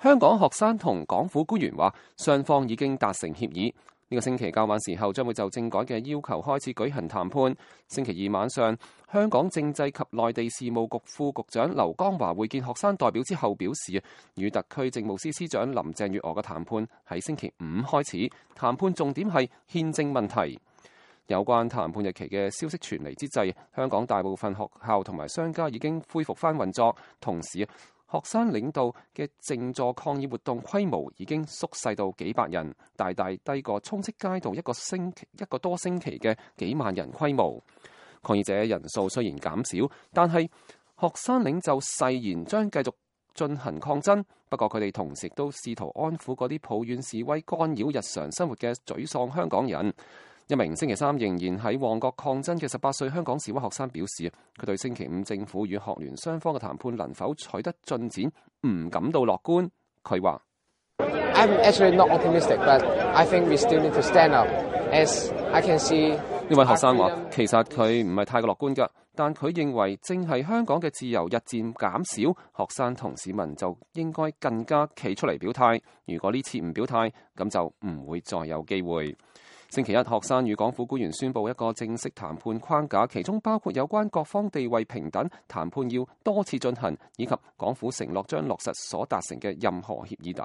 香港學生同港府官員話，雙方已經達成協議。呢個星期較晚時候將會就政改嘅要求開始舉行談判。星期二晚上，香港政制及內地事務局副局長劉江華會見學生代表之後表示，與特區政務司司長林鄭月娥嘅談判喺星期五開始，談判重點係憲政問題。有關談判日期嘅消息傳嚟之際，香港大部分學校同埋商家已經恢復返運作，同時學生領導嘅靜坐抗議活動規模已經縮細到幾百人，大大低過充斥街道一個多星期嘅幾萬人規模。抗議者人數雖然減少，但係學生領袖誓言將繼續進行抗爭。不過佢哋同時都試圖安撫嗰啲抱怨示威干擾日常生活嘅沮喪香港人。一名星期三仍然喺旺角抗爭嘅18歲香港示威學生表示，佢對星期五政府與學聯雙方嘅談判能否取得進展唔感到樂觀。佢話：I'm actually not optimistic, but I think we still need to stand up. As I can see， 呢位學生話，其實佢唔係太過樂觀㗎，但佢認為正係香港嘅自由日漸減少，學生同市民就應該更加企出嚟表態。如果呢次唔表態，咁就唔會再有機會。星期一，學生與港府官員宣布一個正式談判框架，其中包括有關各方地位平等、談判要多次進行，以及港府承諾將落實所達成嘅任何協議等。